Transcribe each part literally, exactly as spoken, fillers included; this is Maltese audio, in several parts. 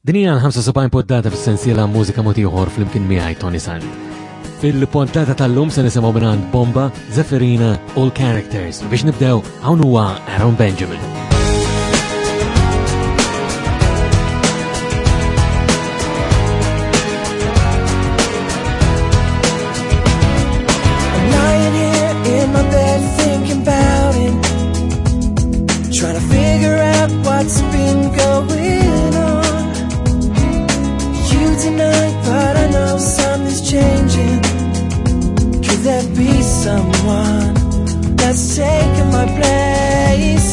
Din hija l-ħamsa u sebgħin poddata fis-sensiela Mużika Mod Ieħor flimkien miegħi Toni Sant. Fil-poddata tal-lum se nisimgħu mingħand Bomba, Zephyrina u l-Characters. Biex nibdew hawn huwa Aaron Benjamin. What's been going on? You deny, but I know something's changing. Could there be someone that's taking my place?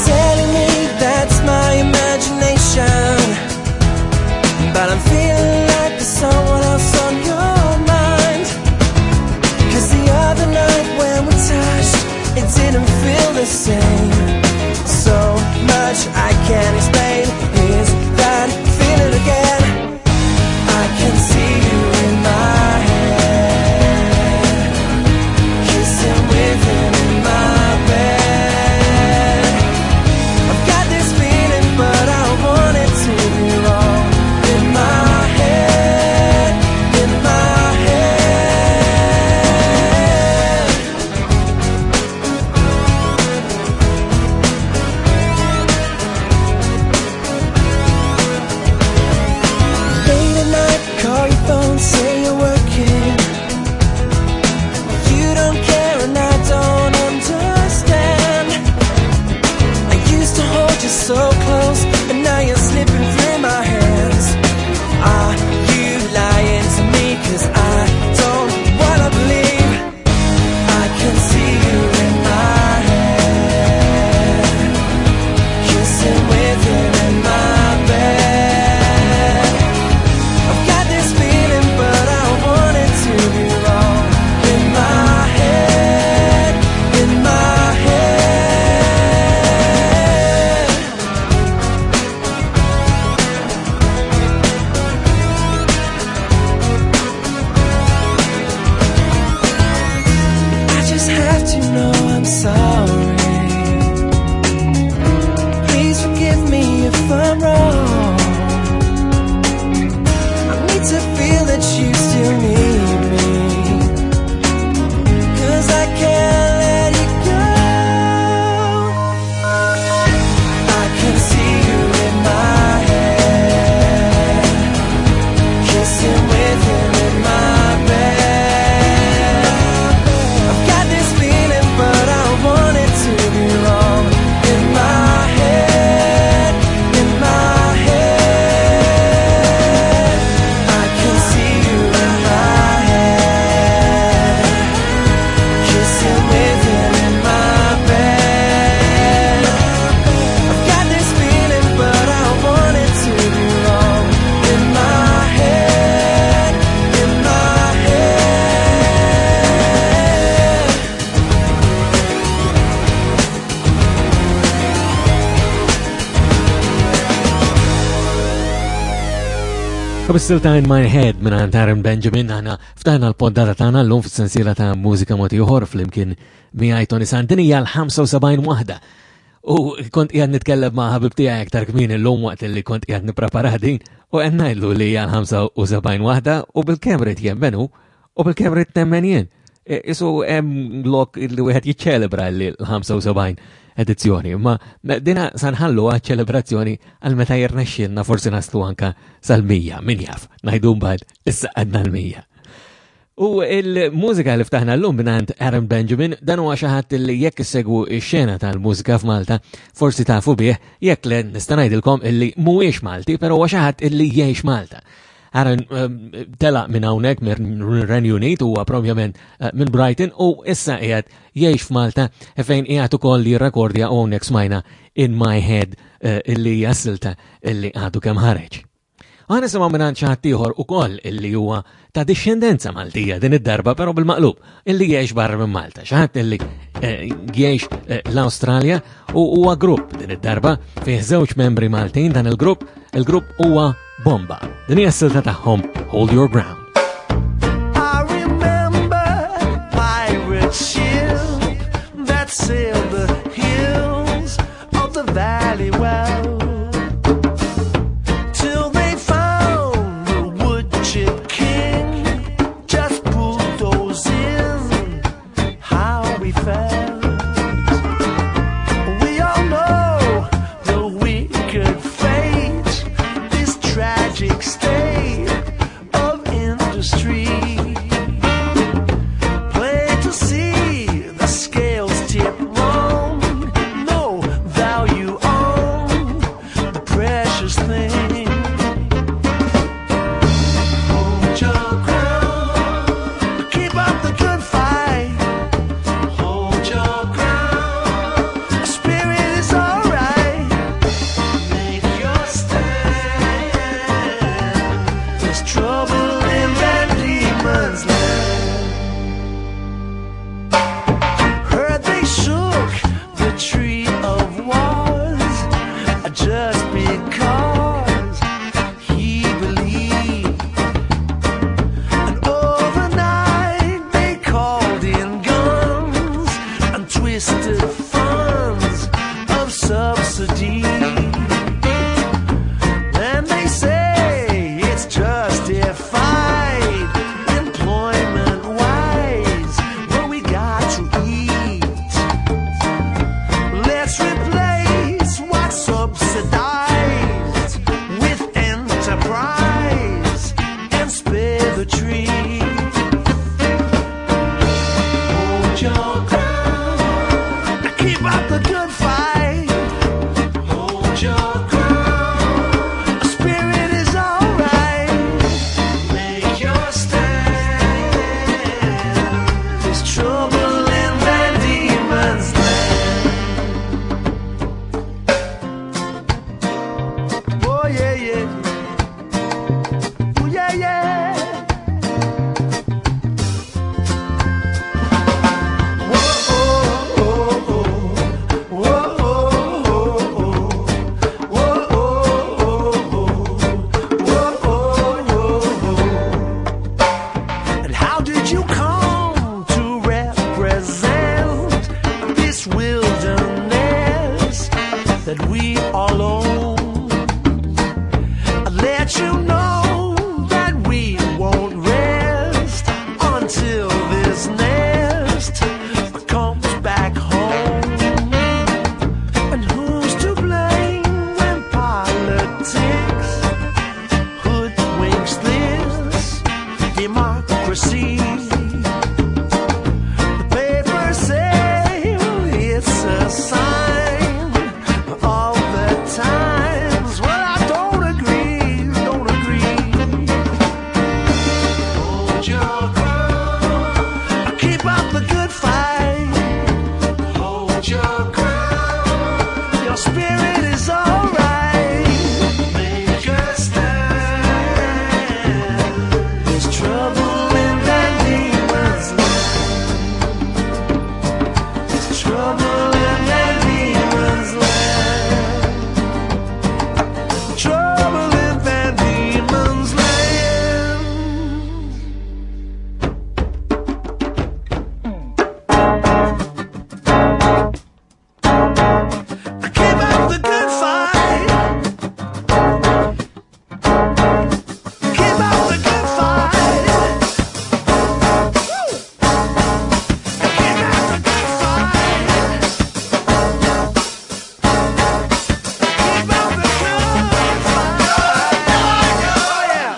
Telling me that's my imagination, but I'm feeling like there's someone else on your mind. 'Cause the other night when we touched, it didn't feel the same. So much I can't explain. Is that feeling again? I can see you in my head, kissing with him in my bed. I've got this feeling, but I want it to be wrong. In my head, in my head. Late at night, call your phone, say you're working. You don't care and I don't understand. I used to hold you so close, and now you're slipping through my hands. Are you lying to me? 'Cause I don't wanna believe. I can see you in my head, kissing with him in my bed. I've got this feeling, but I want it to be wrong. In my head, in my head. I just have to know I'm sorry. Please forgive me if I'm wrong. I need to feel that you still need me, 'cause I can't let you go. I can see you in my head, kissing with him in my bed. I've got this feeling, but I want it to be wrong. In my head, in my head. I can see you in my head, kissing with him in my bed. I've got this feeling, but I want it to be wrong. In my head, in my head. Still In My Head minn għand Aaron Benjamin, aħna ftaħna l-poddata tagħna llum fis-sensiela ta' Mużika Mod Ieħor flimkien miegħi Toni Sant. Din hija l-ħamsa u sebgħin waħda. U kont qiegħed nitkellem ma' ħabib tiegħi aktar kmieni llum waqt li kont qiegħed nipprepara din u qed ngħidlu li hija l-ħamsa u sebgħin waħda u bil-kemm rid jemmen hu u bil-kemm rid nemmen jien. E, isu hemm lok li wieħed jiċċelebra li l-ħamsa u sebgħin edizzjoni, imma dina sanħallu ċelebrazzjoni għal meta jirnexxielna forsi naslu anka sal-mija, min jaf, ngħidu mbagħad issa għadna l-mija. U il-mużika li ftaħna llum mingħand Aaron Benjamin, dan huwa xi ħadd li jekk issegwu x-xena tal-mużika f'Malta, forsi tafu bih, jekk le nista' ngħidilkom illi mhuwiex Malti, però huwa xi ħadd illi jgħix Malta. Aaron, ehm, telaq minn hawnhekk minn Renju Unit, huwa propjament, eh, minn Brighton u issa qiegħed jgħix f'Malta fejn qiegħed ukoll jirrekordja u hawnhekk smajna In My Head, eh, illi hija silta illi għadu kemm ħareġ. Aħna nisimgħu minn xi ħadd ieħor ukoll illi huwa ta' dixxendenza Maltija din id-darba però bil-maqlub illi jgħix barra minn Malta, xi ħadd illi, eh, jgħix, eh, l-Awstralja u huwa grupp din id-darba fih żewġ membri Maltin dan il-grupp, il-grupp huwa Bomba. Din hija s-silta tagħhom Hold Your Ground. I remember pirate ship that sailed the hills of the valley well, till they Lethargic state of industry. Plain to see the scales tip wrong. No value on the precious thing. Hold your ground. Keep up the good fight. Hold your ground. Spirit is alright. Make your stand. There's trouble in Van Diemen's Land. Heard they shook the tree of wars just because he believed. And overnight they called in guns and twisted funds of subsidy. And they say it's justified, employment wise, but we got to eat. Let's replace what's subsidized with enterprise and spare the tree. Hold your ground, keep up the good fight. Hold your ground, spirit is alright. Make your stand. There's trouble in Van Diemen's Land. Oh yeah, yeah. Oh yeah, yeah. Whoa, oh, oh, oh. Whoa, oh, oh, oh. Whoa, oh, oh, oh. Whoa, oh, oh, oh. And how did you come to represent this wilderness that we all own? I let you know that we won't rest until this nest comes back home. And who's to blame when politics hoodwinks this democracy? The papers say it's a sign of the times. Well, I don't agree, don't agree. Hold your ground, keep up the good fight. Hold your ground, your spirit is alright. Make a stand. There's trouble in Van Diemen's Land. There's trouble in Van Diemen's Land. Trouble in Van Diemen's Land. Keep up the good fight. Keep up the good fight. Woo! Keep up the good fight. Keep up the good fight. Oh yeah.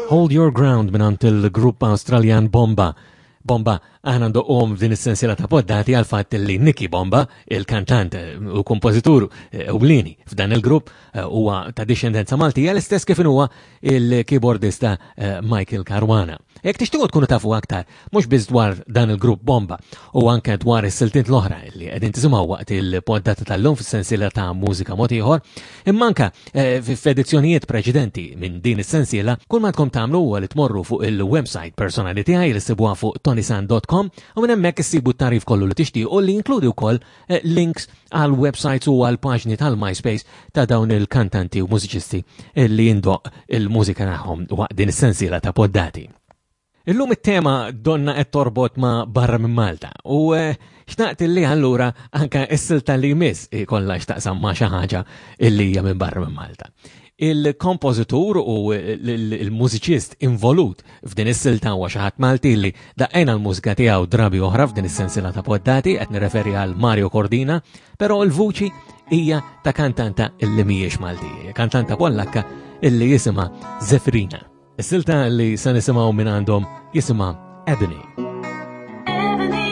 Hold Your Ground minant il-grupp Australian Bomba. Bomba, aħna ndoqqhom f'din is-sensiela ta' poddati għal fatt li Nicky Bomba, il-kantant eh, u kompożitur eh, ewlieni f'dan il-grupp, eh, huwa ta' dixxendenza Maltija l-istess kif huwa il-keyboardista eh, Michael Caruana. Jekk tixtiequ tkunu tafu aktar, mhux biss dwar dan il-grupp Bomba u anke dwar is-siltiet l-oħra li qegħdin tisimgħu waqt il-poddata tal-lum fis-sensiela ta' mużika mod ieħor, imma anke eh, f'edizzjonijiet preċedenti minn din is-sensiela, kull ma tkom tagħmlu huwa li tmorru fuq il-website personali tiegħi li ssibuha fuq tonisan dot com u minn hemmhekk issibu t-tarif kollu li tixtiequ li jinkludi wkoll eh, links għal websites u għal paġni tal-MySpace ta' dawn il-kantanti u mużiċisti li jindoq il-mużika tagħhom waqt din is-sensiela ta' poddati. Illum it-tema donna qed torbot ma' barra minn Malta u eh, xtaqt illi allura anka s-silta li jmiss ikollha x'taqsam ma' xi ħaġa illi hija minn barra minn Malta. Il-kompożitur u l-mużiċist involut f'din is-silta huwa xi ħadd Malti li daqqejna l-mużika tiegħu drabi oħra f'din is-sensiela ta' poddati, qed nirreferi għal Mario Cordina, però l-vuċi hija ta' kantanta illi mhijiex Malti, kantanta Pollakka illi jisimha Zefrina. Is-silta li se nisimgħu minn għandhom jisimha Ebony. Ebony,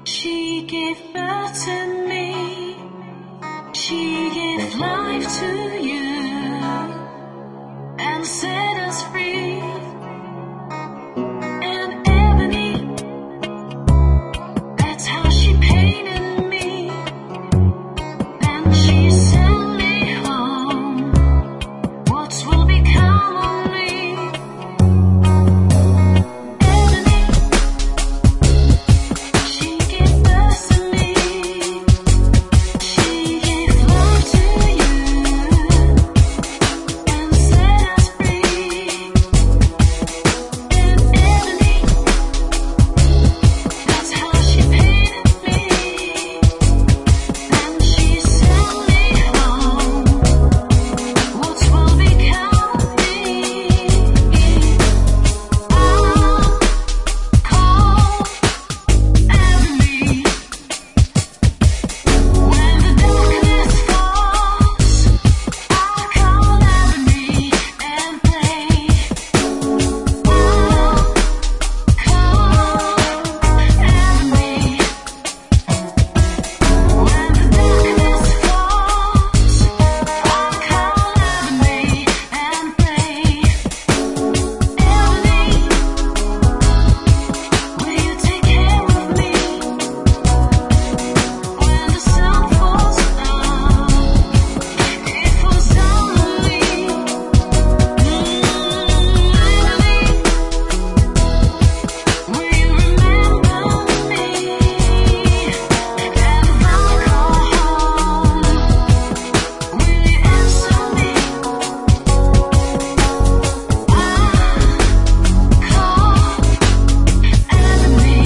she gave birth to me, she gave life to you and set us free. And Ebony, that's how she painted me, and she sent me home. What will become of me? Ebony, she gave birth to me, she gave life to you and set us free. And Ebony, that's how she painted me, and she sent me home. What will become of me? I'll call Ebony when the darkness falls. I'll call Ebony and pray. I'll call Ebony when the darkness falls. I'll call Ebony and pray. Ebony, will you take care of me when the sun falls down? It falls down on me. Ebony, will you remember me? And if I call home, will you answer me? I call Ebony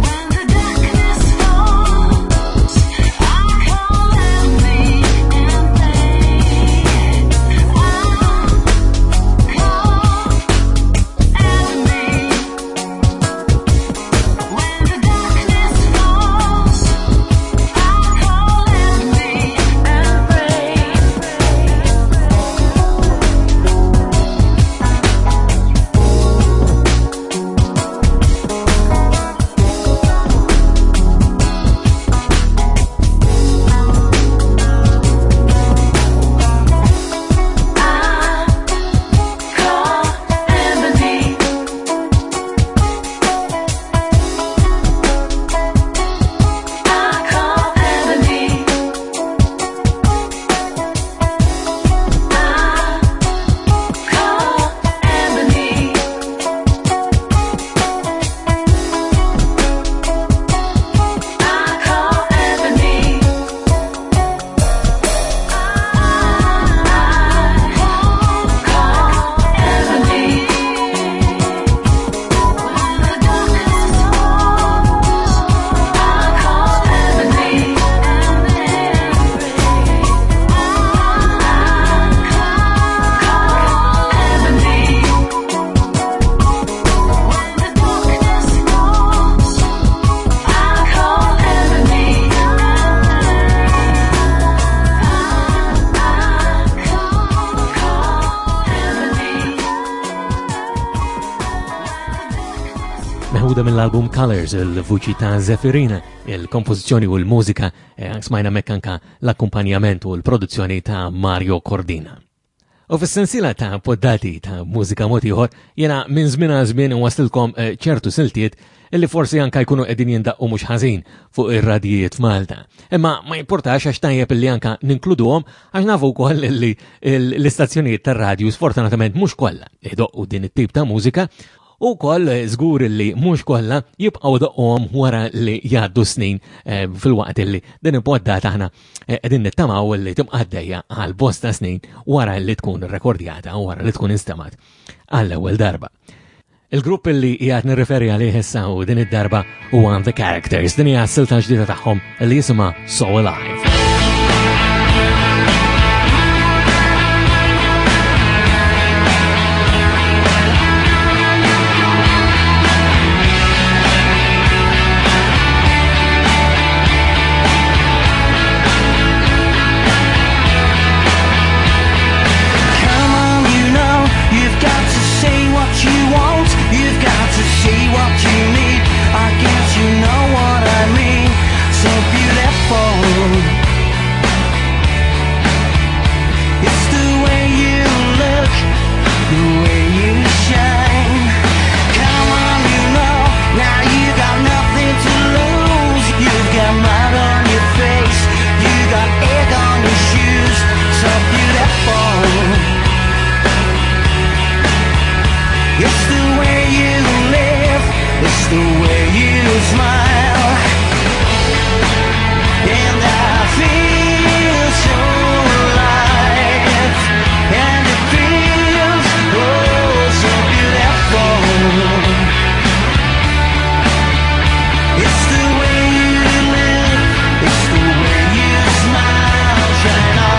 when the darkness falls. I call Ebony and pray. I call Ebony when the darkness falls. I call Ebony and pray. I call Ebony. I call Ebony. I call Ebony. I call Ebony. I call Ebony. When the darkness falls, I call Ebony and pray. I call Ebony. When the darkness falls, I call Ebony. I call Ebony. Meħuda mill-album Colors, il-vuċi ta' Zefirina, il-kompożizzjoni u l-mużika, eh, smajna hemmhekk anka l-akkumpanjament u l-produzzjoni ta' Mario Cordina. U fis-sensiela ta' poddati ta' mużika mod ieħor, jiena minn żmien għal żmien waslilkom eh, ċertu siltiet illi forsi anka jkunu qegħdin jindaqqu mhux ħażin fuq ir-radijiet f'Malta. Imma ma importax għax tajjeb illi anka ninkluduhom għax nafu wkoll illi l-istazzjonijiet tar-radju sfortunatament mhux kollha idoqqu din it-tip ta' mużika. u wkoll żgur li mhux kollha jibqgħu doqhom wara li jgħaddu snin eh, fil-waqt li din il-poddata aħna eh, qegħdin nittamaw li tibqa' għaddejja għal bosta snin wara li tkun irrekordjata u wara li tkun instemat għall-ewwel darba. Il-grupp li qiegħed nirreferi għalih issa u din id-darba huwa The Characters, din hija s-silta ġdida tagħhom li jisimha So Alive. Come on, you know, you've got to say what you want, you've got to say what you need. I guess you know what I mean. So beautiful. It's the way you look, the way you shine. Come on, you know, now you got nothing to lose. You've got mud on your face, you got egg on your shoes. So beautiful. It's the way you live, it's the way you smile. And I feel so alive. And it feels oh so beautiful. It's the way you live, it's the way you smile, shine on.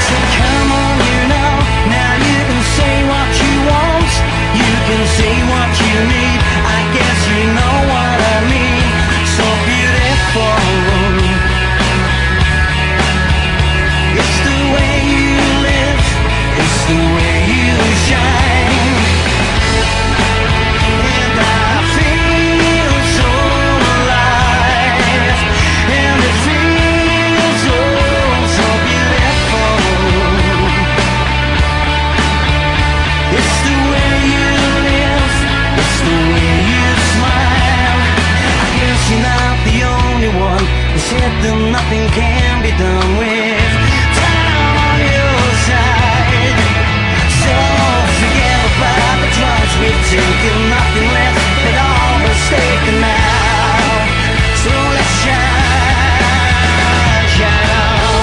So come on, you know, now you can say what you want, you can say what you need. I guess you know what I mean. So beautiful. It's the way you live, it's the way you shine. And I feel so alive. And it feels oh so beautiful. It's the way you live, it's the way you smile. I guess you're not the only one who said that nothing can be done with time on your side. So forget about the drugs we've taken, nothing left at all but taken now. So let's shine, shine on.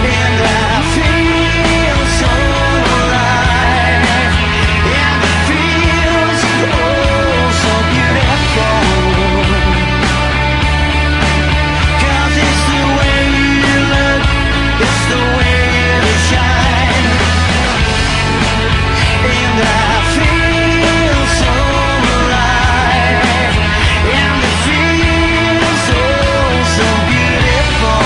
And I feel so alive. And it feels oh so beautiful. 'Cause it's the way you look, it's the way you shine. And I feel so alive. And it feels oh so beautiful.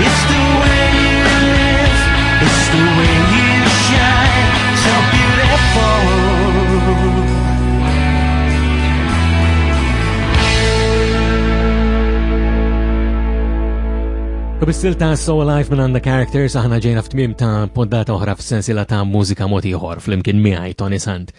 It's the way you live, it's the way you shine, so beautiful. U bis-silta So Alive minn The Characters aħna ġejna f'tmiem ta' poddata oħra f'sensiela ta' mużika mod ieħor flimkien miegħi Tony Sant.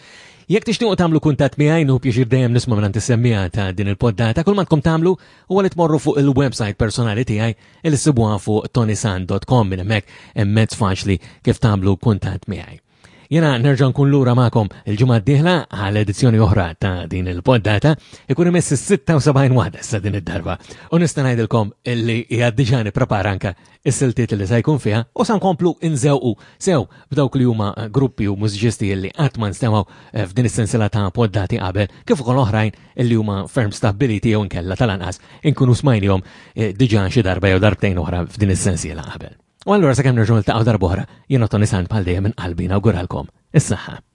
Jekk tixtiequ tagħmlu kuntatt miegħi nieħu pjaċir dejjem nisma' minn is-semmiegħa ta' din il-poddata, kull ma tkom tagħmlu huwa li tmorru fuq il-website personali tiegħi li ssibuha fuq tonisan dot com minn hemmhekk hemm mezz faċli kif tagħmlu kuntatt miegħi. Jena nerġa' nkun lura magħkom il-ġimgħa d-dieħla għal edizzjoni oħra ta' din il-poddata, ikun imiss is-sitta u sebgħin waħda issa din id-darba. U nista' ngħidilkom illi hija diġà nipprepara anke is-siltiet li se jkun fiha u sa nkomplu nżewqu sew b'dawk li huma gruppi u mużiċisti illi qatt ma nstemgħu f'din is-sensiela ta' poddati qabel, kif ukoll oħrajn illi huma ferm stabbiliti jew inkella tal-anqas inkunu smajnihom, eh, diġà xi darba jew darbtejn oħra f'din is-sensiela qabel. U allura sakemm nerġgħu niltaqgħu darb'oħra, jiena Tony Sant bħal dejjem minn qalbi nawguralkom is-saħħa.